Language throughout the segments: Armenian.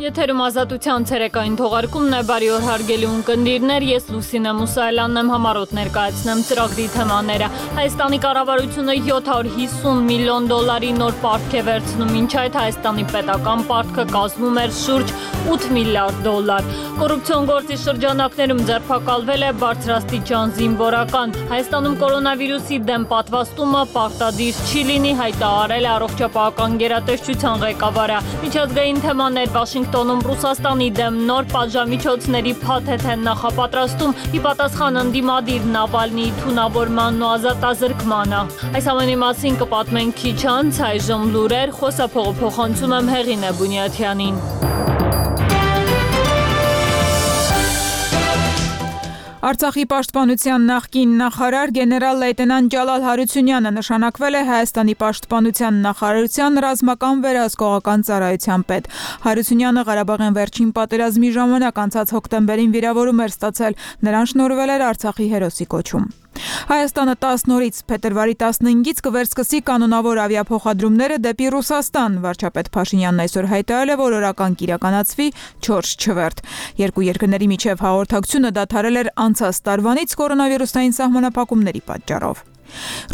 Եթերում ազատության ցերեկային թողարկումն է, բարի օր հարգելի ունկնդիրներ, ես Լուսինե Մուսայելյանն եմ, համառոտ ներկայացնեմ ծրագրի թեմաները։ Հայաստանի կառավարությունը 750 միլիոն դոլարի նոր պարտք է վերցնում, մինչ այդ Հայաստանի պետական պարտքը կազմում էր շուրջ 8 միլիարդ դոլար։ Կոռուպցիոն գործի շրջանակներում ձերբակալվել է բարձրաստիճան զինվորական։ Հայաստանում կորոնավիրուսի դեմ պատվաստումը պարտադիր չի լինի, հայտարարել է առողջապահական գերատեսչության ղեկավարը։ Միջազգային թեմաներ Վաշինգտոնում Ռուսաստանի դեմ նոր պատժամիջոցների փաթեթ են նախապատրաստում՝ ի պատասխան ընդդիմադիր Նավալնիի թունավորմանն ու ազատազրկմանը։ Այս ամենի մասին կպատմենք քիչ անց, այժմ լուրեր, խոսափողը փոխանցում եմ Հեղինե Բունյաթյանին։ Արցախի պաշտպանության նախկին նախարար գեներալ լեյտենանտ Ջալալ Հարությունյանը նշանակվել է Հայաստանի պաշտպանության նախարարության ռազմական վերահսկողական ծառայության պետ։ Հարությունյանը Ղարաբաղյան վերջին պատերազմի ժամանակ անցած հոկտեմբերին վիրավորում էր ստացել, նրան շնորհվել էր Արցախի հերոսի կոչում։ Հայաստանը 10 նորից փետրվարի 15-ից կվերսկսի կանոնավոր ավիափոխադրումները դեպի Ռուսաստան։ Վարչապետ Փաշինյանն այսօր հայտարարել է, որ օրական կիրականացվի 4 չվերթ։ Երկու երկրների միջև հաղորդակցությունը դադարել էր անցած տարվանից կորոնավիրուսային սահմանափակումների պատճառով։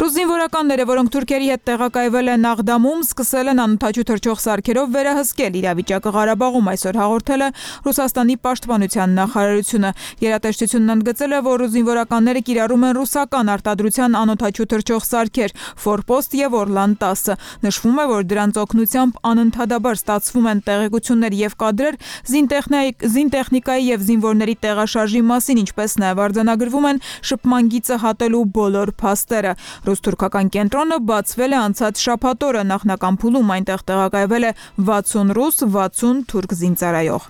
Ռուս զինվորականները, որոնք թուրքերի հետ տեղակայվել են Աղդամում, սկսել են անօդաչու թռչող սարքերով վերահսկել իրավիճակը Ղարաբաղում, այսօր հաղորդել է Ռուսաստանի պաշտպանության նախարարությունը։ Գերատեսչությունն ընդգծել է, որ ռուս զինվորականները կիրառում են ռուսական արտադրության անօդաչու թռչող սարքեր Ֆորպոստ եւ Օրլան 10։ Նշվում է, որ դրանց օգնությամբ անընդհատաբար ստացվում են տեղեկություններ եւ կադրեր զինտեխնիկայի եւ զինվորների տեղաշարժի մասին, ինչպես նաեւ արձանագրվում են շփման գիծը հատելու բոլոր փաստերը։ Ռուս-թուրքական կենտրոնը բացվել է անցած շաբաթ օրը, նախնական փուլում այնտեղ տեղակայվել է 60 ռուս, 60 թուրք զինծառայող։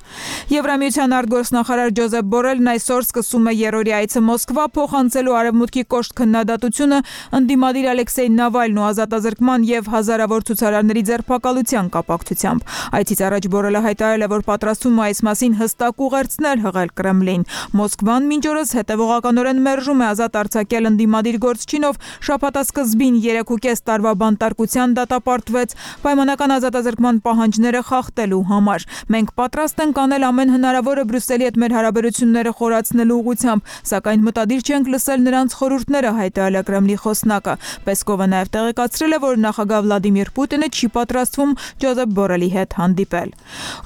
Եվրամիության արտգործնախարար Ջոզեփ Բորելն այսօր սկսում է երրորդի այցը Մոսկվա, փոխանցելու արևմուտքի կոշտ քննադատությունը ընդդիմադիր Ալեքսեյ Նավալնու ազատազրկման եւ հազարավոր ցուցարարների ձերբակալության կապակցությամբ։ Այցից առաջ Բորելը հայտարարել է, որ պատրաստվում է այս մասին հստակ ուղերձներ հղել Կրեմլին։ Մոսկվան մինչ օրս հետևողականորեն մերժում է ազատ արձակել ընդդիմադիր գործչինով շաբաթասկզբին 3.5 տարվա բանտարկության դատապարտվեց պայմանական ազատազրկման պահանջները խախտելու համար։ Մենք պատրաստ ենք անել ամեն հնարավորը Բրյուսելի հետ մեր հարաբերությունները խորացնելու ուղղությամբ, սակայն մտադիր չենք լսել նրանց խորհուրդները, հայտարարել է Կրեմլի խոսնակը։ Պեսկովը նաև տեղեկացրել է, որ նախագահ Վլադիմիր Պուտինը չի պատրաստվում Ջոզեփ Բորելի հետ հանդիպել։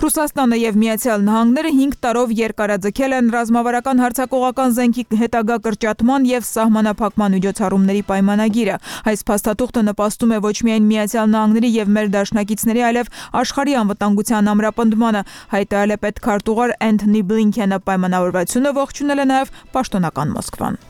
Ռուսաստանը եւ Միացյալ Նահանգները 5 տարով երկարաձգել են ռազմավարական հարձակողական զենքի հետագա կրճատման եւ սահմանափակման միջոցառումների պայմանագիրը։ Այս փաստաթուղթը նպաստում է ոչ միայն Միացյալ Նահանգների եւ մեր դաշնակիցների, այլև աշխարհի անվտանգության ամրապնդմանը, հայտարարել է պետքարտուղար Էնթոնի Բլինքենը։ Պայմանավորվածությունը ողջունել է նաեւ պաշտոնական Մոսկվան։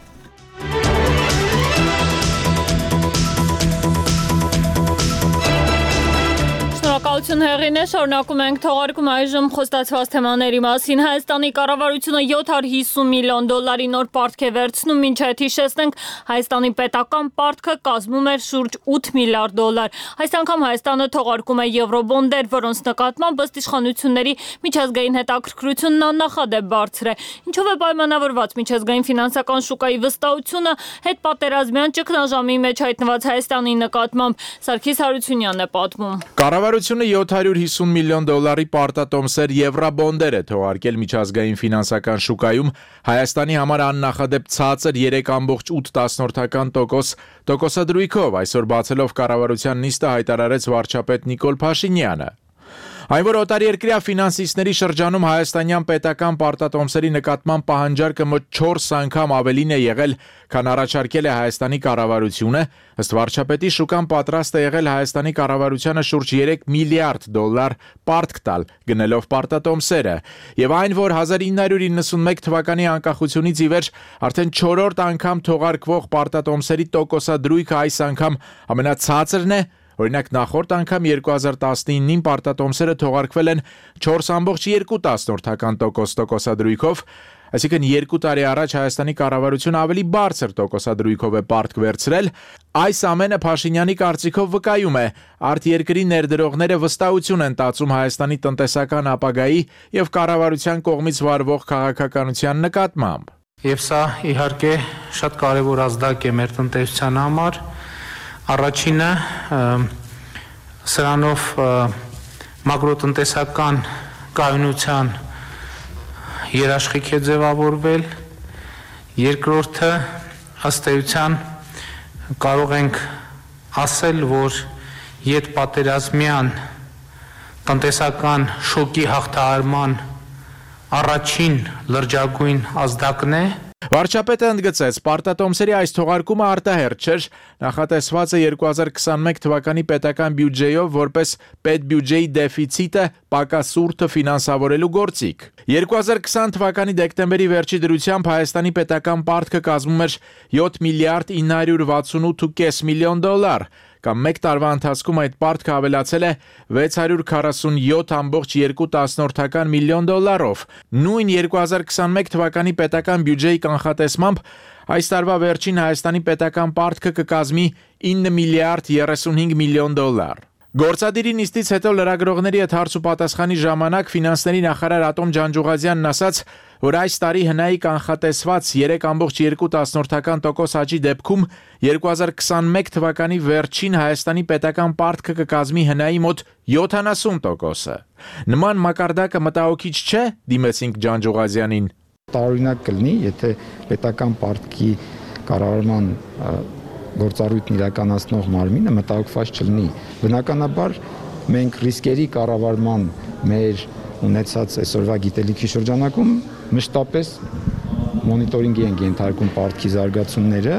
Շնորհակալություն Հեղինե, շարունակում ենք թողարկում այժմ խոստացված թեմաների մասին։ Հայաստանի կառավարությունը 750 միլիոն դոլարի նոր պարտք է վերցնում, մինչ այդ հիշեցնենք, Հայաստանի պետական պարտքը կազմում էր շուրջ 8 միլիարդ դոլար։ Այս անգամ Հայաստանը թողարկում է եվրոբոնդեր, որոնց նկատմամբ ըստ իշխանությունների միջազգային հետաքրքրությունն աննախադեպ բարձր է։ Ինչով է պայմանավորված միջազգային ֆինանսական շուկայի վստահությունը հետպատերազմյան ճգնաժամի մեջ հայտնված Հայաստանի նկատմամբ։ Սարգիս Հարությունյանն է պատմում։ Կառավարությունը 750 միլիոն դոլարի պարտատոմսեր եվրոբոնդեր է թողարկել միջազգային ֆինանսական շուկայում Հայաստանի համար աննախադեպ ցածր 3.8% տոկոսադրույքով, այսօր բացելով կառավարության նիստը հայտարարեց վարչապետ Նիկոլ Փաշինյանը։ Այն որ օտարերկրյա ֆինանսիստների շրջանում հայաստանյան պետական պարտատոմսերի նկատմամբ պահանջարկը մոտ 4 անգամ ավելին է եղել, քան առաջարկել է Հայաստանի կառավարությունը, ըստ վարչապետի շուկան պատրաստ է եղել Հայաստանի կառավարությանը շուրջ 3 միլիարդ դոլար պարտք տալ, գնելով պարտատոմսերը, եւ այն որ 1991 թվականի անկախությունից ի վեր արդեն 4-րդ անգամ թողարկվող պարտատոմսերի տոկոսադրույքը այս անգամ ամենացածրն է։ Օրինակ նախորդ անգամ 2019-ին պարտատոմսերը թողարկվել են 4.2% տոկոսադրույքով, այսինքն 2 տարի առաջ Հայաստանի կառավարությունը ավելի բարձր տոկոսադրույքով է պարտք վերցրել։ Այս ամենը Փաշինյանի կարծիքով վկայում է արտերկրի ներդրողները վստահություն են տածում Հայաստանի տնտեսական ապագայի եւ կառավարության կողմից վարվող քաղաքականության նկատմամբ։ Եվ սա իհարկե շատ կարևոր ազդակ է մեր տնտեսության համար։ Առաջինը սրանով մակրոտնտեսական կայունության երաշխիք է ձևավորվել, երկրորդը ըստ էության կարող ենք ասել, որ ետպատերազմյան տնտեսական շոկի հաղթահարման առաջին լրջագույն ազդակն է։ Վարչապետը ընդգծեց, պարտատոմսերի այս թողարկումը արտահերթ չէր, նախատեսված է 2021 թվականի պետական բյուջեով որպես պետբյուջեի դեֆիցիտը պակասուրդը ֆինանսավորելու գործիք։ 2020 թվականի դեկտեմբերի վերջի դրությամբ Հայաստանի պետական պարտքը կազմում էր 7 միլիարդ 968.5 միլիոն դոլար, կամ մեկ տարվա ընթացքում այդ պարտքը ավելացել է 647.2 միլիոն դոլարով։ Նույն 2021 թվականի պետական բյուջեի կանխատեսմամբ այս տարվա վերջին Հայաստանի պետական պարտքը կկազմի 9 միլիարդ 35 միլիոն դոլար։ Գործադիրի նիստից հետո լրագրողների հետ հարց ու պատասխանի ժամանակ ֆինանսների նախարար Ատոմ Ջանջուղազյանն ասաց, որ այս տարի հնայի կանխատեսված 3.2% աճի դեպքում 2021 թվականի վերջին Հայաստանի պետական պարտքը կկազմի հնայի մոտ 70%-ը։ Նման մակարդակը մտահոգիչ չէ, դիմեցինք Ջանջուղազյանին։ Տարօրինակ կլինի, եթե պետական պարտքի կառավարման գործառույթն իրականացնող մարմինը մտահոգված չլինի։ Բնականաբար մենք ռիսկերի կառավարման մեր ունեցած այսօրվա գիտելիքի շրջանակում մշտապես մոնիտորինգի են ենթարկում պարտքի զարգացումները։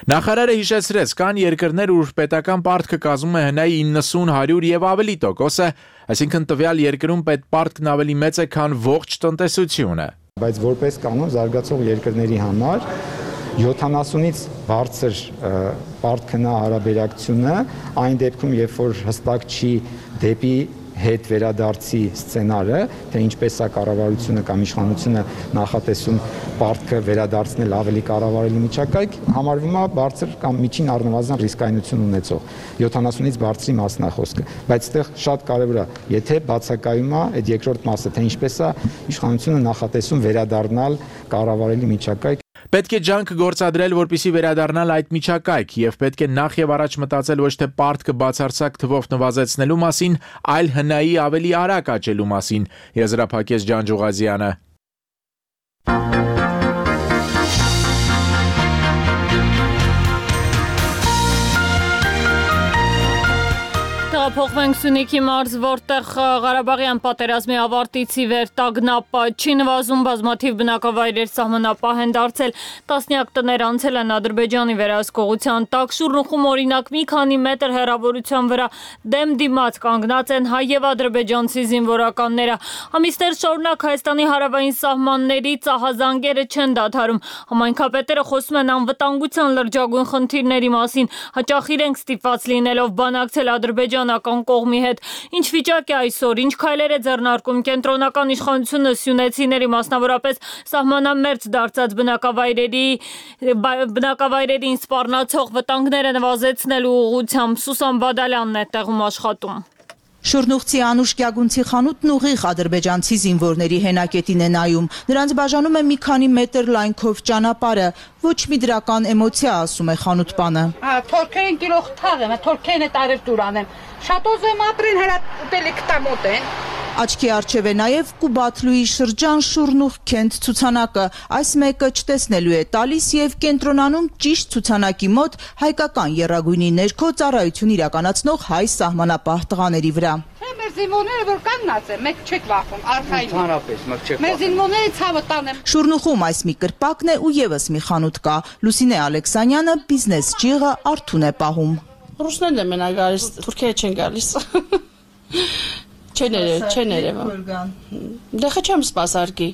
Նախարարը հիշեցրեց, կան երկրներ, ուր պետական պարտքը կազմում է հնայի 90, 100 եւ ավելի տոկոսը, այսինքն տվյալ երկրում պետպարտքն ավելի մեծ է, քան ողջ տնտեսությունը։ Բայց որպես կանոն զարգացող երկրների համար 70-ից բարձր պարտքնա հարաբերակցությունը այն դեպքում, երբ որ հստակ չի դեպի հետ վերադարձի սցենարը, թե ինչպես է կառավարությունը կամ իշխանությունը նախատեսում պարտքը վերադարձնել ավելի կառավարելի միջակայք, համարվում է բարձր կամ միջին առնվազն ռիսկայնություն ունեցող 70-ից բարձրի մասն է խոսքը, բայց այդտեղ շատ կարևոր է, եթե բացակայում է այդ երկրորդ մասը, թե ինչպես է իշխանությունը նախատեսում վերադառնալ կառավարելի միջակայք։ Պետք է ջանք գործադրել, որպեսզի վերադառնալ այդ միջակայք, եւ պետք է նախ եւ առաջ մտածել ոչ թե պարտքը բացարձակ թվով նվազեցնելու մասին, այլ հնայի ավելի արագ աճելու մասին, եզրափակեց Ջանջուղազյանը։ Փոխվենք Սյունիքի մարզ, որտեղ Ղարաբաղյան պատերազմի ավարտից ի վեր տագնապ չի նվազում, բազմաթիվ բնակավայրեր սահմանապահ են դարձել, տասնյակ տներ անցել են Ադրբեջանի վերահսկողության տակ, Շուռնուխում օրինակ մի քանի մետր հեռավորության վրա դեմ դիմաց կանգնած են հայ եւ ադրբեջանցի զինվորականները։ Ամիսներ շարունակ Հայաստանի հարավային սահմանների ծահազանգերը չեն դադարում։ Համայնքապետերը խոսում են անվտանգության լրջագույն խնդիրների մասին, հաճախ իրենք ստիպված լինելով բանակցել ադրբեջանական կողմի հետ։ Ինչ վիճակ է այսօր, ինչ քայլեր է ձեռնարկում կենտրոնական իշխանությունը սյունեցիների, մասնավորապես սահմանամերձ դարձած բնակավայրերին սպառնացող վտանգները նվազեցնելու ուղղությամբ։ Սուսան Բադալյանն է տեղում աշխատում։ Շուռնուխցի Անուշ Գյագունցի խանութն ուղիղ ադրբեջանցի զինվորների հենակետին է նայում։ Նրանց բաժանում է մի քանի մետր լայնքով ճանապարհը։ Ոչ մի դրական էմոցիա, ասում է խանութպանը։ Թորքերին կիլո խթաղ եմ, թորքերին է տարև դուրան եմ։ Շատ ոզեմ ապրին հերա ուտելիք տամոտ են։ Աչքի առջև է նաև Կուբաթլուի շրջան Շուռնուխ քենթ ցուցանակը։ Այս մեկը չտեսնելու է տալիս եւ կենտրոնանում ճիշտ ցուցանակի մոտ հայկական եռագույնի ներքո ծառայություն իրականացնող հայ սահմանապահ տղաների վրա։ Մեր զինվորները որ կանգնած են, մեկ չեք վախում, արխային։ Հանրապես, մեկ չեք վախում։ Մեր զինվորները ցավը տանեմ։ Շուռնուխում այս մի կրպակն է ու եւս մի խանութ կա։ Լուսինե Ալեքսանյանը բիզնես ճիղը արթուն է պահում։ Ռուսներն են մենակ գալիս, թուրքերը չեն գալիս։ Չեն երևա։ Դե չեմ սպասարկի։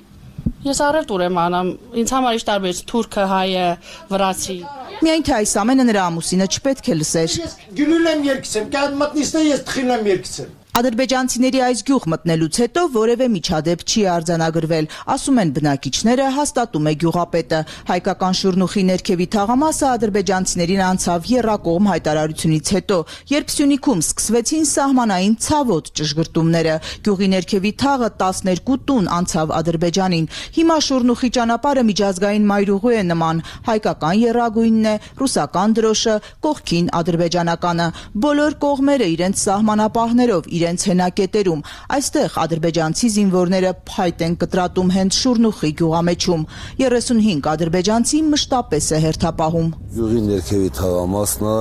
Ես առևտուր եմ անում, ինձ համար ինչ տարբեր թուրքը, հայը, վրացի։ Միայն թե այս ամենը նրա ամուսինը չպետք է լսեր։ Ես գյուլել եմ երկցեմ, կան մտնիստ է, ես թխիլ եմ երկցեմ։ Ադրբեջանցիների այս գյուղ մտնելուց հետո որևէ միջադեպ չի արձանագրվել, ասում են բնակիչները, հաստատում է գյուղապետը։ Հայկական Շուռնուխի ներքևի թաղամասը ադրբեջանցիներին անցավ եռակողմ հայտարարությունից հետո, երբ Սյունիքում սկսվեցին սահմանային ցավոտ ճշգրտումները։ Գյուղի ներքևի թաղը 12 տուն անցավ Ադրբեջանին։ Հիմա Շուռնուխի ճանապարհը միջազգային մայրուղու է նման, հայկական եռագույնն է, ռուսական դրոշը, կողքին ադրբեջանականը։ Բոլոր կողմերը իրենց սահմանապահներով իրենց հենակետերում։ Այստեղ ադրբեջանցի զինվորները փայտ են կտրատում հենց Շուրնուխի գյուղամեջում։ 35 ադրբեջանցի մշտապես է հերթապահում։ Գյուղի ներքևի թաղամասն է,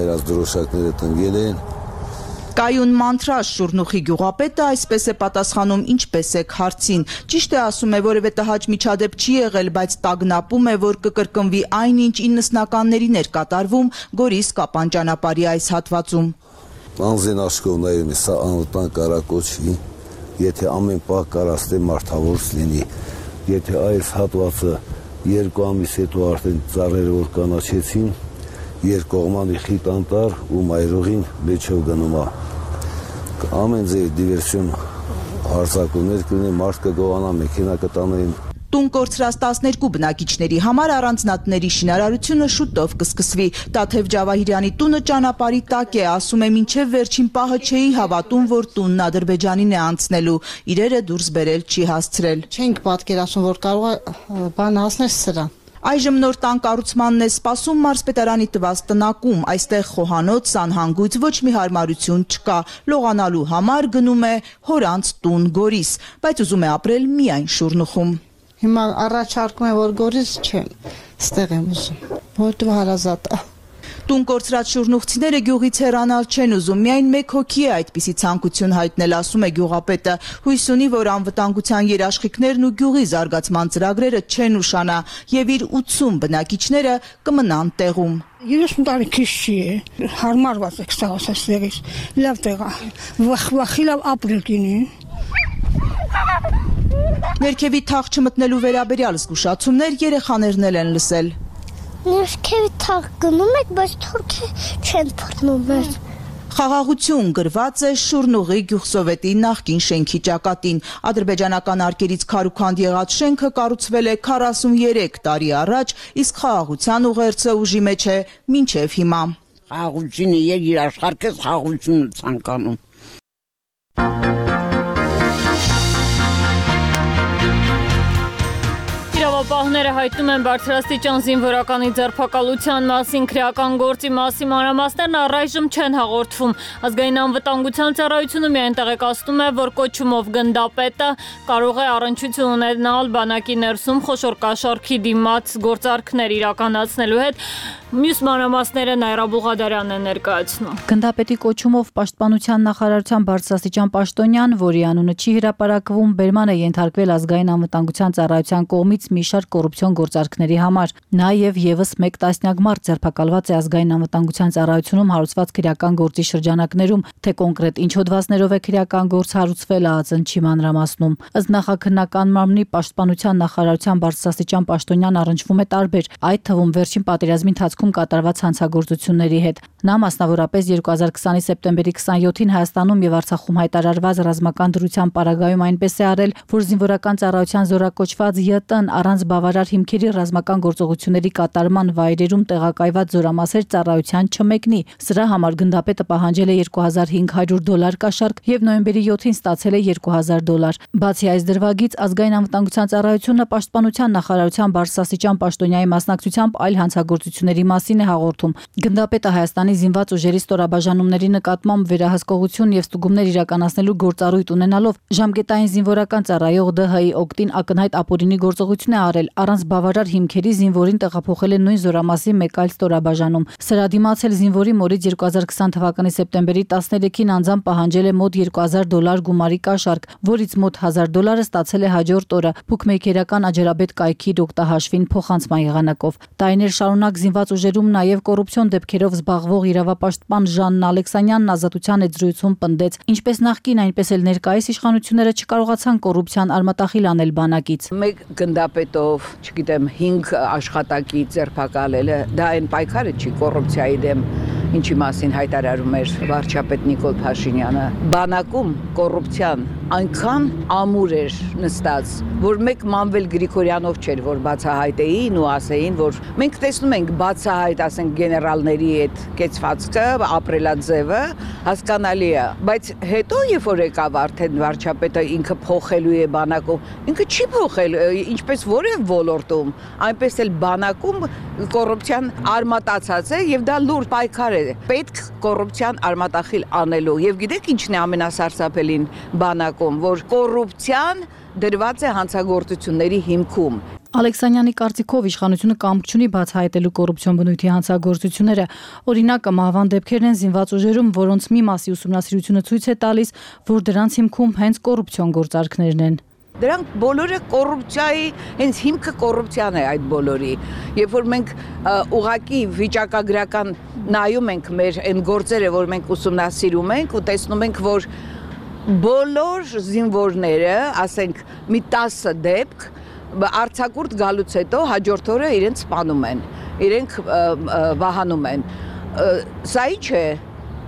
իրաց դրոշակները տնկել են։ Կայուն մանթրաշ Շուրնուխի գյուղապետը այսպես է պատասխանում ինչպես եք հարցին։ Ճիշտ է ասում է, որևէ տհաճ միջադեպ չի եղել, բայց տագնապում է, որ կկրկնվի այնինչ 90-ականներին էր կատարվում Գորիս Կապան ճանապարհի այս հատվածում։ Անձեն աշխով նայում է, սա անվտանգ կարակոչվի, եթե ամեն պահ կարաստե մարդավորս լինի, եթե այս հատվածը 2 ամիս հետո արդեն ծառերը որ կանաչեցին, երկկողմանի խիտ անտառ ու մայրուղին մեջով գնում է։ Ամեն ձև դիվերսիոն հարձակումներ կլինի, մարդ կգողանա, մեքենա կտանեն։ Տուն կորցրած 12 բնակիչների համար առանձնատների շինարարությունը շուտով կսկսվի։ Տաթև Ջավահիրյանի տունը ճանապարհի տակ է, ասում է, մինչև վերջին պահը չէի հավատում, որ տունն Ադրբեջանին է անցնելու։ Իրերը դուրս բերել չի հասցրել։ Չենք պատկերացնում, որ կարող է բան հասնել սրան։ Այժմ նոր տան կառուցմանն է սպասում մարզպետարանի տված տնակում, այստեղ խոհանոց, սանհանգույց ոչ մի հարմարություն չկա, լողանալու համար գնում է հորանց տուն Գորիս, բայց ուզում է ապրել միայն Շուրնուխում։ Հիմա առաջարկում է, որ Գորիս չեմ, ստեղ եմ ուզում, որտեղ հարազատ է։ Տուն կորցրած շուրնուխցիները գյուղից հեռանալ չեն ուզում, միայն մեկ հոգի է այդպիսի ցանկություն հայտնել, ասում է գյուղապետը։ Հույս ունի, որ անվտանգության երաշխիքներն ու գյուղի զարգացման ծրագրերը չեն ուշանա եւ իր 80 բնակիչները կմնան տեղում։ 30 տարի քիչ չի, հարմարված է ստեղից, լավ տեղ է, վախի լավ ապրել կինի։ Ներքևի թաղ չմտնելու վերաբերյալ զգուշացումներ երեխաներն են լսել։ Ներքևի թաղ գնում եք, բայց թուրքը չեն փռնում մեզ։ Խաղաղություն գրված է Շուրնուղի գյուղսովետի նախկին շենքի ճակատին։ Ադրբեջանական արկերից քարուքանդ եղած շենքը կառուցվել է 43 տարի առաջ, իսկ խաղաղության ուղերձը ուժի մեջ է մինչև հիմա։ Խաղաղությունը իր աշխարհքես խաղաղությունը ցանկանում։ Իրավապահները հայտնում են բարձրաստիճան զինվորականի ձերբակալության մասին, քրեական գործի մասի մանրամասներն առայժմ չեն հաղորդվում։ Ազգային անվտանգության ծառայությունը միայն տեղեկացնում է, որ կոչումով գնդապետը կարող է առնչություն ունենալ բանակի ներսում խոշոր կաշառքի դիմաց գործարքներ իրականացնելու հետ։ Մյուս մանրամասները Նայրա Բուղադարյանն է ներկայացնում։ Գնդապետի կոչումով Պաշտպանության նախարարության բարձրաստիճան պաշտոնյան, որի անունը չի հրապարակվում, բերման է ենթարկվել ազգային անվտանգության ծառայության կողմից մի շարք կոռուպցիոն գործարքների համար։ Նաև եւս 1 տասնյակ մարդ ձերբակալված է ազգային անվտանգության ծառայությունում հարուցված քրեական գործի շրջանակներում, թե կոնկրետ ինչ հոդվածներով է քրեական գործ հարուցվել, ԱԱԾ-ն չի մանրամասնում։ Ըստ նախաքննական մարմնի Պաշտպանության նախարարության բարձրաստիճան պաշտոնյան առնչվում է տարբեր, այդ թվում վերջին պատերազմի ընթացքում կատարված հանցագործությունների հետ։ Նա մասնավորապես 2020-ի սեպտեմբերի 27-ին Հայաստանում եւ Արցախում հայտարարված ռազմական դրության պարագայում այնպես է արել, որ զինվորական ծառայության զորակոչված ԵՏ-ն առանց բավարար հիմքերի ռազմական գործողությունների կատարման վայրերում տեղակայված զորամասեր ծառայության չմեկնի։ Սրա համար գնդապետը պահանջել է $2500 կաշառք եւ նոյեմբերի 7-ին ստացել է $2000։ Բացի այս դրվագից ազգային անվտանգության ծառայությունը Պաշտպանության նախարարության բարձրաստիճան պաշտոնյայի մասնակցությամբ այլ հանցագործությունների մասին է հաղորդում։ Գնդապետը Հայաստանի զինված ուժերի ստորաբաժանումների նկատմամբ վերահսկողություն եւ ստուգումներ իրականացնելու գործառույթ ունենալով ժամկետային զինվորական ծառայող ԴՀ-ի օգտին ակնհայտ ապօրինի գործողություն է արել, առանց բավարար հիմքերի զինվորին տեղափոխել է նույն զորամասի մեկ այլ ստորաբաժանում։ Սրա դիմաց էլ զինվորի մորից 2020 թվականի սեպտեմբերի 13-ին անձամբ պահանջել է մոտ $2000 գումարի կաշառք, որից մոտ $1000 ստացել է հաջորդ օրը բուկմեյքերական Աջարաբեդ կայքի դոկտահաշվին փոխանցման եղանակով։ Տարիներ շարունակ զինված ուժերում նաև կոռուպցիոն դեպքերով զբաղվող իրավապաշտպան Ժաննա Ալեքսանյանն ազատության եզրույթում պնդեց, ինչպես նախկին, այնպես էլ ներկայիս իշխանությունները չկարողացան կոռուպցիան արմատախիլ անել բանակից։ Մեկ գնդապետով, չգիտեմ, 5 աշխատակի ձերբակալելը, դա այն պայքարը չի կոռուպցիայի դեմ, ինչի մասին հայտարարում էր վարչապետ Նիկոլ Փաշինյանը։ Բանակում կոռուպցիան այնքան ամուր էր նստած, որ մեկ Մանվել Գրիգորյանով չէր, որ բացահայտեին ու ասեին, որ մենք տեսնում ենք բացահայտ, ասենք, գեներալների այդ կեցվածքը, ապրելաձևը, հասկանալի է, բայց հետո երբ որ եկավ արդեն վարչապետը ինքը փոխելու է բանակում, ինքը չի փոխել, ինչպես որև ոլորտում, այնպես էլ բանակում կոռուպցիան արմատացած է եւ դա լուրջ պայքար է պետք կոռուպցիան արմատախիլ անելու եւ գիտեք ինչն է ամենասարսափելին բանակում, որ կոռուպցիան դրված է հանցագործությունների հիմքում։ Ալեքսանյանի կարծիքով իշխանությունը կամք չունի բացահայտելու կոռուպցիոն բնույթի հանցագործությունները։ Օրինակը մահվան դեպքերն են զինված ուժերում, որոնց մի մասի ուսումնասիրությունը ցույց է տալիս, որ դրանց հիմքում հենց կոռուպցիոն գործարքներն են։ Դրանք բոլորը կոռուպցիայի, հենց հիմքը կոռուպցիան է այդ բոլորի։ Երբ որ մենք ուղակի վիճակագրական նայում ենք մեր այն գործերը, որ մենք ուսումնասիրում ենք ու տեսնում ենք, որ բոլոր զինվորները, ասենք, մի 10 դեպք արձակուրդ գալուց հետո հաջորդ օրը իրենց սպանում են, իրենք վահանում են։ Սա ի՞նչ է։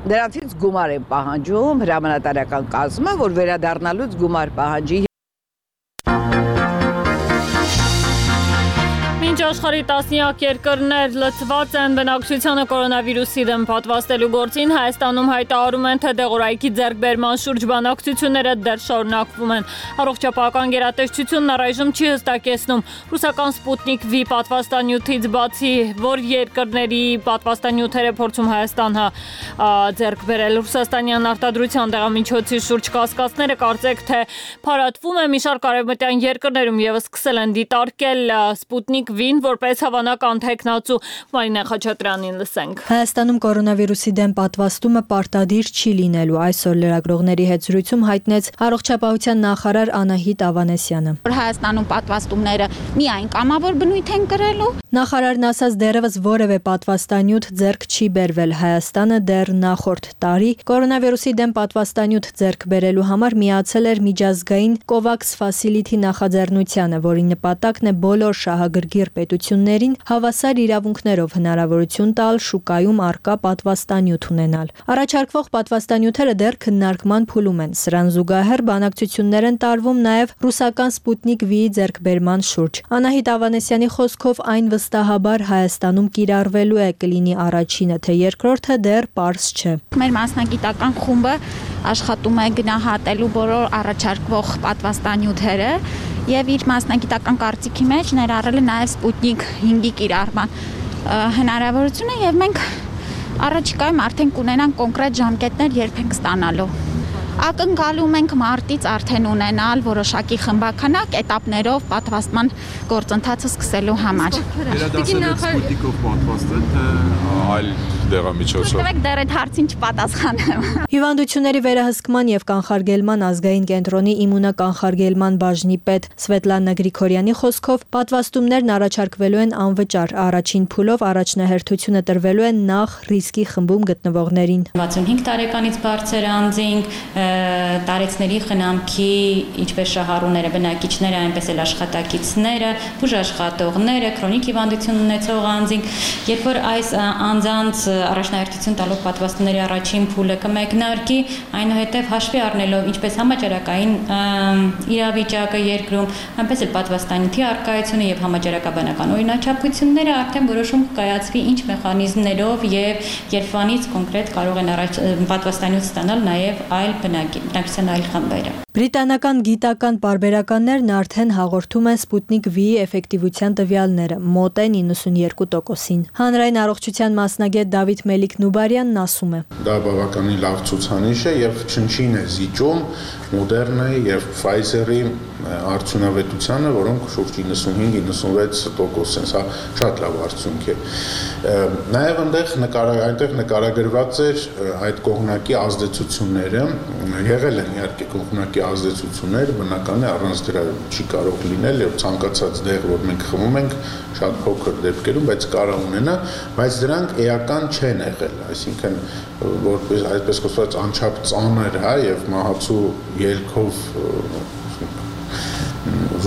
Դրանցից գումար են պահանջում հրամանատարական կազմը, որ վերադառնալուց գումար պահանջի։ Մինչ աշխարհի տասնյակ երկրներ լծված են բնակչությանը կորոնավիրուսի դեմ պատվաստելու գործին, Հայաստանում հայտարարում են, թե դեղորայքի ձեռքբերման շուրջ բանակցությունները դեռ շարունակվում են։ Առողջապահական գերատեսչությունն առայժմ չի հստակեցնում ռուսական Սպուտնիկ V պատվաստանյութից բացի, որ երկրների պատվաստանյութեր է փորձում Հայաստանը ձեռք բերել։ Ռուսաստանյան արտադրության դեղամիջոցի շուրջ կասկածները կարծեք թե փարատվում է, մի շարք արևմտյան երկրներում եւս սկսել են դիտարկել Սպուտնիկ V-ին որպես հավանական թեկնածու։ Մարինե Խաչատրյանին լսենք։ Հայաստանում կորոնավիրուսի դեմ պատվաստումը պարտադիր չի լինելու, այսօր լրագրողների հետ զրույցում հայտնեց առողջապահության նախարար Անահիտ Ավանեսյանը։ Հայաստանում պատվաստումները միայն կամավոր բնույթ են կրելու։ Նախարարն ասաց, դեռևս որևէ պատվաստանյութ ձեռք չի բերվել։ Հայաստանը դեռ նախորդ տարի կորոնավիրուսի դեմ պատվաստանյութ ձեռք բերելու համար միացել էր միջազգային COVAX Facility նախաձեռնությանը, որի նպատակն է բոլոր շահագրգիռ պետություններին հավասար իրավունքներով հնարավորություն տալ շուկայում առկա պատվաստանյութ ունենալ։ Առաջարկվող պատվաստանյութերը դեռ քննարկման փուլում են։ Սրան զուգահեռ բանակցություններ են տարվում նաև ռուսական Սպուտնիկ V-ի ձեռքբերման շուրջ։ Անահիտ Ավանեսյանի խոսքով այն վստահաբար Հայաստանում կիրառվելու է, կլինի առաջինը, թե երկրորդը դեռ պարզ չէ։ Մեր մասնագիտական խումբը աշխատում է գնահատելու բոլոր առաջարկվող պատվաստանյութերը եւ իր մասնագիտական կարծիքի մեջ ներառել է նաեւ Սպուտնիկ 5-ի կիրառման հնարավորությունը եւ մենք առաջիկայում արդեն կունենանք կոնկրետ ժամկետներ երբ ենք ստանալու։ Ակնկալում ենք մարտից արդեն ունենալ որոշակի խմբականակ էտապներով պատվաստման գործընթացը սկսելու համար։ Վերադասել եք Սպուտնիկով պատվաստել, թե այլ դեղամիջոցով։ Եք դեռ այդ հարցին չպատասխանեմ։ Հիվանդությունների վերահսկման եւ կանխարգելման ազգային կենտրոնի իմունականխարգելման բաժնի պետ Սվետլանա Գրիգորյանի խոսքով պատվաստումներն առաջարկվելու են անվճար։ Առաջին փուլով առաջնահերթությունը տրվելու է նախ ռիսկի խմբում գտնվողներին։ 65 տարեկանից բարձր անձինք, տարեցների խնամքի, ինչպես շահառուները, բնակիչները, այնպես էլ աշխատակիցները, բուժաշխատողները, քրոնիկ հիվանդություն ունեցող անձինք, երբ որ այս անձանց առաջնահերթություն տալով պատվաստումների առաջին փուլը կմեկնարկի, այնուհետև հաշվի առնելով ինչպես համաճարակային իրավիճակը երկրում, այնպես էլ պատվաստանյութի առկայությունը եւ համաճարակաբանական օրինաչափությունները, արդեն որոշում կկայացվի ինչ մեխանիզմներով եւ երբանից կոնկրետ կարող են պատվաստանյութ ստանալ նաեւ այլ բնակչության այլ խմբերը։ Բրիտանական գիտական պարբերականներն արդեն հաղորդում են Սպուտնիկ V-ի էֆեկտիվության տվյալները, մոտ է 92%-ին։ Հանրային առողջության մասնագետ Դավիթ Մելիք-Նուբարյանն ասում է. Դա բավականին լավ ցուցանիշ է եւ չնչին է զիջում Մոդեռնայի եւ Pfizer-ի արդյունավետությանը, որոնք շուրջ 95-96% են, սա շատ լավ արդյունք է։ Նաեւ այնտեղ նկարագրված էր այդ կողմնակի ազդեցությունները, եղել են իհարկե կողմնակի ազդեցություններ, բնական է առանց դրա չի կարող լինել եւ ցանկացած դեղ, որ մենք խմում ենք, շատ փոքր դեպքերում, բայց կարող ունենա, բայց դրանք էական չեն եղել, այսինքն որպես այդպես կոչված անչափ ծանր, հա, եւ մահացու ելքով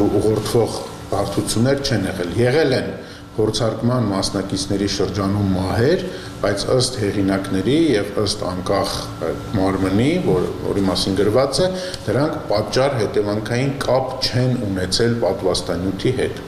ուղղորդվող բարդություններ չեն եղել։ Եղել են փորձարկման մասնակիցների շրջանում մահեր, բայց ըստ հեղինակների եւ ըստ անկախ մարմնի, որի մասին գրված է, դրանք պատճառ հետևանքային կապ չեն ունեցել պատվաստանյութի հետ։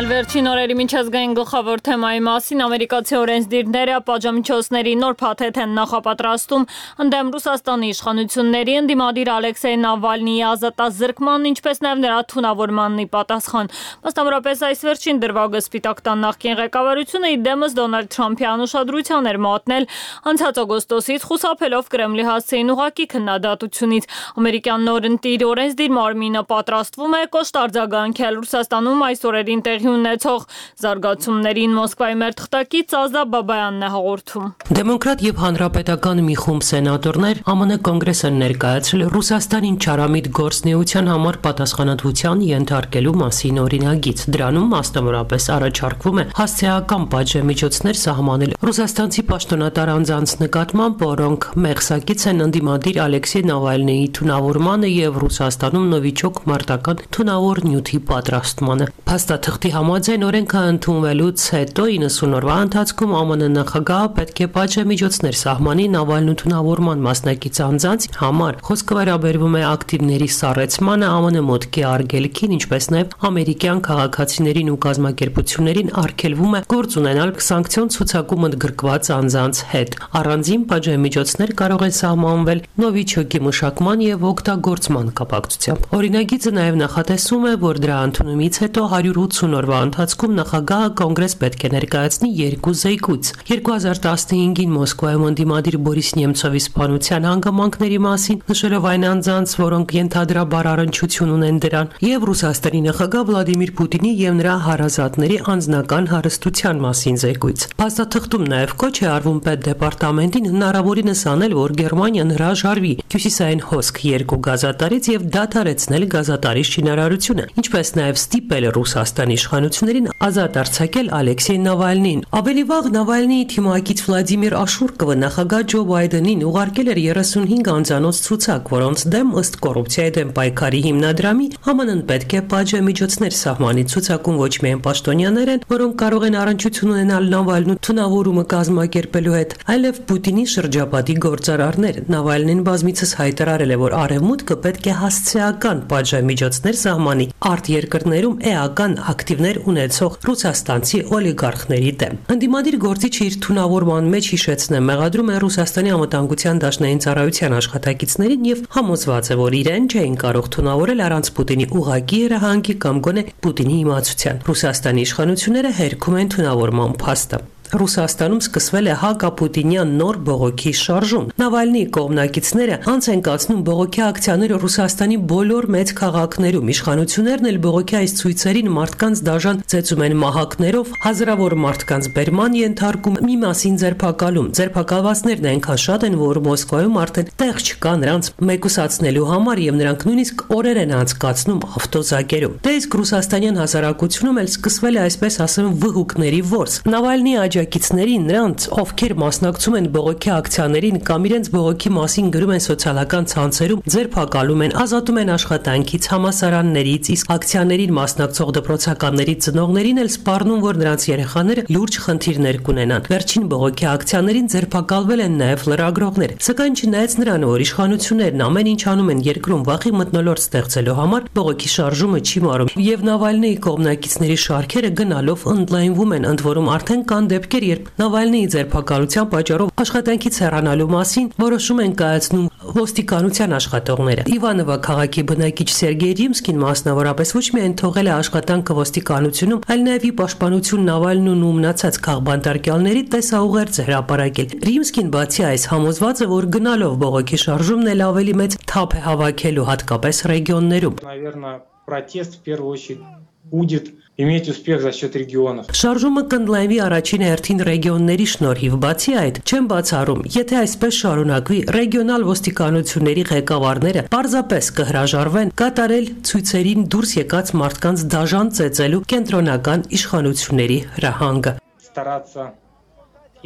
Վերջին օրերի միջազգային գլխավոր թեմայի մասին ամերիկացի օրենսդիրները պատժամիջոցների նոր փաթեթ են նախապատրաստում ընդդեմ Ռուսաստանի իշխանությունների ընդդիմադիր Ալեքսեյ Նավալնիի ազատազրկման, ինչպես նաև նրա թունավորմանն ի պատասխան։ Մասնավորապես այս վերջին դրվագը Սպիտակ տան նախկին ղեկավարությունը ի դեմս Դոնալդ Թրամփի անուշադրության էր մատնել անցած օգոստոսից, խուսափելով Կրեմլի հասցեին ուղղակի քննադատությունից։ Ամերիկյան նոր ընտիր օրենսդիր մարմինը պատրաստվում է կոշտ արձագանքել Ռուսաստանում այս օրերին տեղի ունեցող զարգացումներին Մոսկվայի մեր թղթակից Ազա Բաբայանն է հաղորդում։ Դեմոկրատ եւ հանրապետական մի խումբ սենատորներ ԱՄՆ կոնգրես են ներկայացրել Ռուսաստանին չարամիտ գործնեության համար պատասխանատվության ենթարկելու մասին օրինագիծ։ Դրանում մասնավորապես առաջարկվում է հասցեական պատժամիջոցներ սահմանել ռուսաստանցի պաշտոնատար անձանց նկատմամբ, որոնք մեղսակից են ընդդիմադիր Ալեքսեյ Նավալնիի թունավորմանը եւ Ռուսաստանում նովիչոկ մարտական թունավոր նյութի պատրաստմանը։ Փաստաթղթի համաձայն օրենքը ընդունվելուց հետո 90 օրվա ընթացքում ԱՄՆ նախագահը պետք է պատժամիջոցներ սահմանի Նավալնու թունավորման մասնակից անձանց համար։ Խոսքը վերաբերվում է ակտիվների սառեցմանը, ԱՄՆ մոտքի արգելքին, ինչպես նաև ամերիկյան քաղաքացիներին ու կազմակերպություններին արգելվում է գործ ունենալ սանկցիոն ցուցակում ընդգրկված անձանց հետ։ Առանձին պատժամիջոցներ կարող են սահմանվել նովիչոկի մշակման եւ օգտագործման կապակցությամբ։ Օրինագիծը նաև նախատեսում է, որ դրա ընդունումից հետո 180 օրվա ընթացքում նախագահը կոնգրես պետք է ներկայացնի երկու զեկույց։ 2015-ին Մոսկվայում ընդդիմադիր Բորիս Նեմցովի սպանության հանգամանքների մասին, նշելով այն անձանց, որոնք ենթադրաբար առնչություն ունեն դրան, եւ Ռուսաստանի նախագահ Վլադիմիր Պուտինի եւ նրա հարազատների անձնական հարստության մասին զեկույց։ Փաստաթղթում նաև կոչ է արվում պետդեպարտամենտին հնարավորինս անել, որ Գերմանիան հրաժարվի Հյուսիսային հոսք 2 գազատարից եւ դադարեցնել գազատարի շինարարությունը, ինչպես նաև ստիպել Ռուսաստանի իշխանություններին ազատ արձակել Ալեքսեյ Նավալնին։ Ավելի վաղ Նավալնիի թիմակից Վլադիմիր Աշուրկովը նախագահ Ջո Բայդենին ուղարկել էր 35 անձանոց ցուցակ, որոնց դեմ ըստ կոռուպցիայի դեմ պայքարի հիմնադրամի ԱՄՆ-ն պետք է պատժամիջոցներ սահմանի։ Ցուցակում ոչ միայն պաշտոնյաներ են, որոնք կարող են առնչություն ունենալ Նավալնու թունավորումը կազմակերպելու հետ, այլև Պուտինի շրջապատի գործարարներ։ Նավալնին բազմիցս հայտարարել է, որ Արևմուտքը պետք է հասցեական պատժամիջոցներ սահմանի արտերկրներում էական ակտիվներ ունեցող ռուսաստանցի օլիգարխների դեմ։ Ընդդիմադիր գործիչը իր թունավորման մեջ հիշեցնե մեղադրում է Ռուսաստանի անվտանգության դաշնային ծառայության աշխատակիցներին եւ համոզված է, որ իրեն չէին կարող թունավորել առանց Պուտինի ուղղակի երահանգի կամ գոնե Պուտինի իմացության։ Ռուսաստանի իշխանությունները հերքում են թունավորման փաստը։ Ռուսաստանում սկսվել է հակապուտինյան նոր բողոքի շարժում։ Նավալնիի կողմնակիցները անց են կացնում բողոքի ակցիաները Ռուսաստանի բոլոր մեծ քաղաքներում։ Իշխանություններն էլ բողոքի այս ցույցերին մարդկանց դաժան ծեծում են մահակներով, հազարավոր մարդկանց բերման ենթարկում, մի մասին ձերբակալում։ Ձերբակալվածներն այնքան շատ են, որ Մոսկվայում արդեն տեղ չկա նրանց մեկուսացնելու համար եւ նրանք նույնիսկ օրեր են անցկացնում ավտոզակերում։ Դե իսկ ռուսաստանյան հասարակությունում էլ սկսվել է այսպես ասեմ վհուկների որս։ Նավալնիի աջակիցներին, նրանց, ովքեր մասնակցում են բողոքի ակցիաներին կամ իրենց բողոքի մասին գրում են սոցիալական ցանցերում, ձերբակալում են, ազատում են աշխատանքից, համալսարաններից, իսկ ակցիաներին մասնակցող դպրոցականների ծնողներին էլ սպառնում, որ նրանց երեխաները լուրջ խնդիրներ կունենան։ Վերջին բողոքի ակցիաներին ձերբակալվել են նաև լրագրողներ, սակայն չնայած նրան, որ իշխանություններն ամեն ինչ անում են երկրում վախի մթնոլորտ ստեղծելու համար, բողոքի շարժումը չի մարում, եւ Նավալնիի կողմնակիցների շարքերը գնալով ընդլայնվում են, ընդ որում արդեն կան դեպքեր, երբ Նավալնիի ձերբակալության պատճառով աշխատանքից հեռանալու մասին որոշում են կայացնում ոստիկանության աշխատողները։ Իվանովա քաղաքի բնակիչ Սերգեյ Ռիմսկին մասնավորապես ոչ միայն թողել է աշխատանքը ոստիկանությունում, այլ նաև ի պաշտպանություն Նավալնուն ու մնացած քաղբանտարկյալների տեսաուղերձ հրապարակել։ Ռիմսկին բացի այս համոզված է, որ գնալով բողոքի շարժումն էլ ավելի մեծ թափ է հավաքելու, հատկապես ռեգիոններում։ Наверное, протест в первую очередь будет иметь успех за счет регионов. Շարժումը կընդլայնվի առաջին հերթին ռեգիոնների շնորհիվ, բացի այդ, չեմ բացառում, եթե այսպես շարունակվի, ռեգիոնալ ոստիկանությունների ղեկավարները պարզապես կհրաժարվեն կատարել ցույցերին դուրս եկած մարդկանց դաժան ծեծելու կենտրոնական իշխանությունների հրահանգը։ Стараться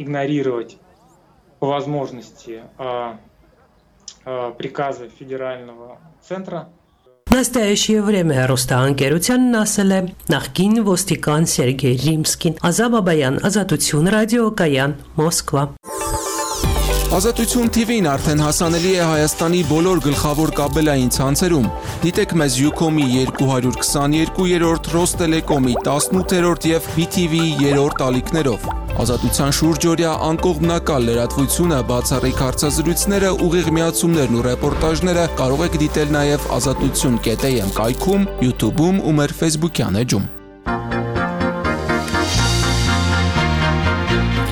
игнорировать по возможности приказа федерального центра. В настоящее время հեռուստաընկերությանն ասել է նախկին ոստիկան Սերգեյ Ռիմսկին, Ազատ Բաբայան, Ազատություն ռադիոկայան, Մոսկվա։ Ազատություն TV-ն արդեն հասանելի է Հայաստանի բոլոր գլխավոր կաբելային ցանցերում։ Դիտեք մեզ Ucom-ի 222-րդ, Ռոստելեկոմի 18-րդ եւ BTV-ի 3-րդ ալիքներով։ Ազատության շուրջօրյա անկողմնակալ լրատվությունը, բացառիկ հարցազրույցները, ուղիղ միացումներն ու ռեպորտաժները կարող եք դիտել նաեւ azatutun.am կայքում, YouTube-ում ու մեր Facebook-յան էջում։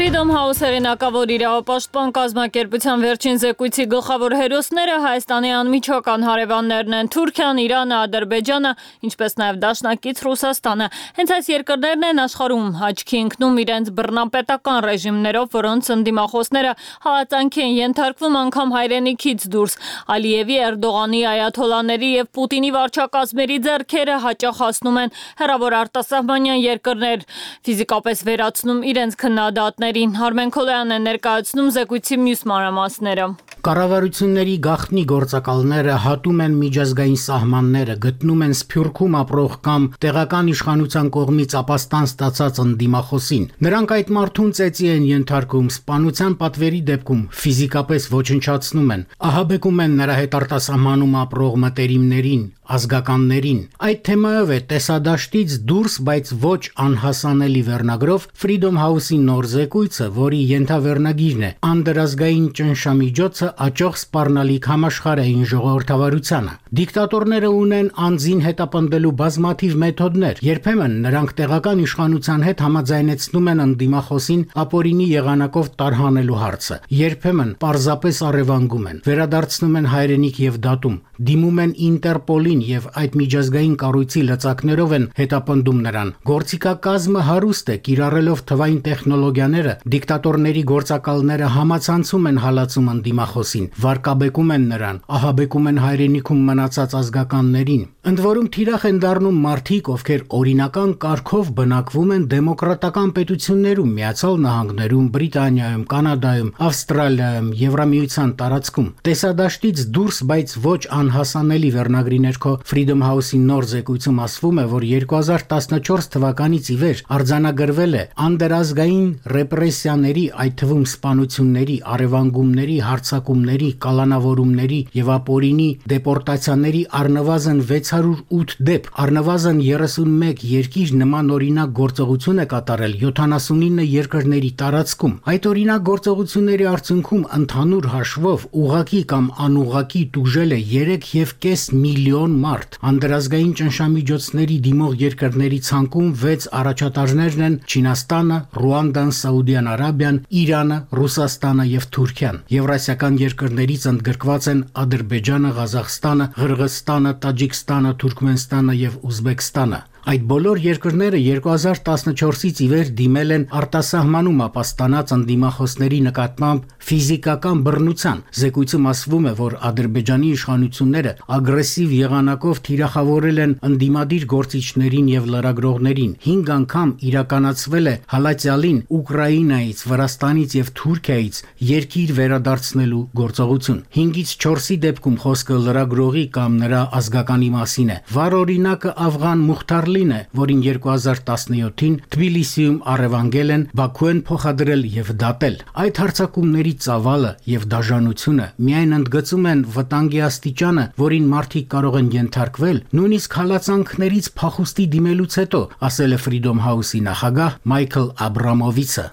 Freedom House հեղինակավոր իրավապաշտպան կազմակերպության վերջին զեկույցի գլխավոր հերոսները Հայաստանի անմիջական հարևաններն են Թուրքիան, Իրանը, Ադրբեջանը, ինչպես նաև դաշնակից Ռուսաստանը։ Հենց այս երկրներն են աշխարհում աչքի ընկնում իրենց բռնապետական ռեժիմներով, որոնց ընդդիմախոսները հալածանքի են ենթարկվում անգամ հայրենիքից դուրս։ Ալիևի, Էրդողանի, Այաթոլաների եւ Պուտինի վարչակազմերի ձեռքերը հաճախ հասնում են հեռավոր արտասահմանյան երկրներ, ֆիզիկապես վերացնում իրենց քննադատներին։ Արմեն Քոլոյանն է ներկայացնում զեկույցի մյուս մանրամասները։ Կառավարությունների գաղտնի գործակալները հատում են միջազգային սահմանները, գտնում են Սփյուռքում ապրող կամ տեղական իշխանության կողմից ապաստան ստացած ընդդիմախոսին։ Նրանք այդ մարդուն ծեծի են ենթարկում, սպանության պատվերի դեպքում ֆիզիկապես ոչնչացնում են, ահաբեկում են նրա հետ արտասահմանում ապրող մտերիմներին, ազգականներին։ Այդ թեմայով է տեսադաշտից դուրս, բայց ոչ անհասանելի վերնագրով Freedom House-ի նոր զեկույցը, որի ենթավերնագիրն է Անդրազգային ճնշամիջոցը աճող սպառնալիք համաշխարհային ժողովրդավարությանը։ Դիկտատորները ունեն անձին հետապնդելու բազմաթիվ մեթոդներ։ Երբեմն նրանք տեղական իշխանության հետ համաձայնեցնում են ընդդիմախոսին ապօրինի եղանակով տարհանելու հարցը։ Երբեմն պարզապես առևանգում են, վերադարձնում են հայրենիք եւ դատում, դիմում են Ինտերպոլին եւ այդ միջազգային կառույցի լծակներով են հետապնդում նրան։ Գործիքակազմը հարուստ է, կիրառելով թվային տեխնոլոգիաները, դիկտատորների գործակալները համացանցում են հալածում ընդդիմախոսին, վարկաբեկում են նրան, ահաբեկում են հայրենիքում մնացած ազգականներին։ Ընդ որում թիրախ են դառնում մարդիկ, ովքեր օրինական կարգով բնակվում են դեմոկրատական պետություններում, Միացյալ Նահանգներում, Բրիտանիայում, Կանադայում, Ավստրալիայում, Եվրամիության տարածքում։ Տեսադաշտից դուրս, բայց ոչ անհասանելի վերնագրի ներքո Freedom House-ի նոր զեկույցում ասվում է, որ 2014 թվականից ի վեր արձանագրվել է անդրազգային ռեպրեսիաների, այդ թվում սպանությունների, առևանգումների, հարձակումների, կալանավորումների եւ ապօրինի դեպորտացիաների առնվազն 608 դեպք, առնվազն 31 երկիր նման օրինակ գործողություն է կատարել 79 երկրների տարածքում։ Այդ օրինակ գործողությունների արդյունքում ընդհանուր հաշվով ուղղակի կամ անուղղակի տուժել է 3.5 միլիոն մարդ։ Անդրազգային ճնշամիջոցների դիմող երկրների ցանկում 6 առաջատարներն են Չինաստանը, Ռուանդան, Սաուդյան Արաբիան, Իրանը, Ռուսաստանը եւ Թուրքիան։ Եվրասիական երկրներից ընդգրկված են Ադրբեջանը, Ղազախստանը, Ղրղըզստանը, Տաջիկստանը, Թուրքմենստանը եւ Ուզբեկստանը։ Այդ բոլոր երկրները 2014-ից ի վեր դիմել են արտասահմանում ապաստանած ընդդիմախոսների նկատմամբ ֆիզիկական բռնության։ Զեկույցում ասվում է, որ Ադրբեջանի իշխանությունները ագրեսիվ եղանակով թիրախավորել են ընդդիմադիր գործիչներին եւ լրագրողներին։ 5 անգամ իրականացվել է հալածյալին Ուկրաինայից, Վրաստանից եւ Թուրքիայից երկիր վերադարձնելու գործողություն։ 5-ից 4-ի դեպքում խոսքը լրագրողի կամ նրա ազգականի մասին է։ Վառ օրինակը Աֆղան Մուխտար է, որին 2017-ին Թբիլիսիում առևանգել են, Բաքու են փոխադրել եւ դատել։ Այդ հարձակումների ծավալը եւ դաժանությունը միայն ընդգծում են վտանգի աստիճանը, որին մարդիկ կարող են ենթարկվել, նույնիսկ հալածանքներից փախուստի դիմելուց հետո, ասել է Freedom House-ի նախագահ Մայքլ Աբրամովիցը։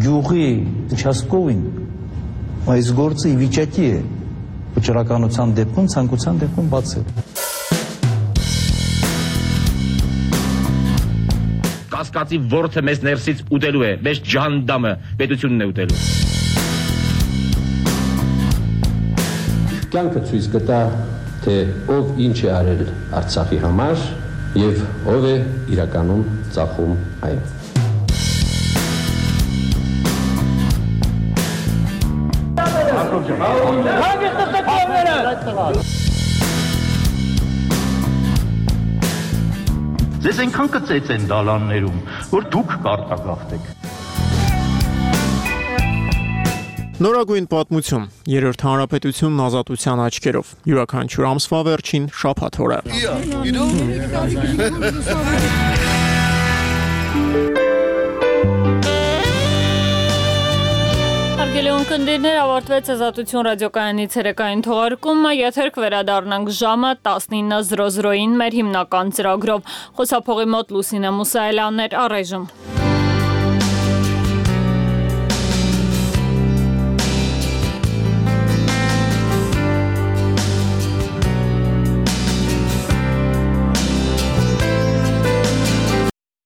Գյուղի участковին այս գործը ի վիճակի է վճռականության դեպքում, ցանկության դեպքում բացել։ Կասկածի ворթը մեզ ներսից ուտելու է, մեզ ջանդամը պետությունն է ուտելու։ Կյանքը ցույց կտա, թե ով ինչ է արել Արցախի համար եւ ով է իրականում ծախում այն։ Ձեզ այնքան կծեց են դալաններում, որ դուք կարտագաղթեք։ Նորագույն պատմություն, երրորդ հանրապետությունն ազատության աչքերով, յուրաքանչյուր ամսվա վերջին շաբաթ օրը։ Հարգելի ունկնդիրներ, ավարտվեց Ազատություն ռադիոկայանի ցերեկային թողարկումը, եթեր կվերադառնանք ժամը 19:00-ին մեր հիմնական ծրագրով։ Խոսափողի մոտ Լուսինե Մուսայելյանն էր, առայժմ։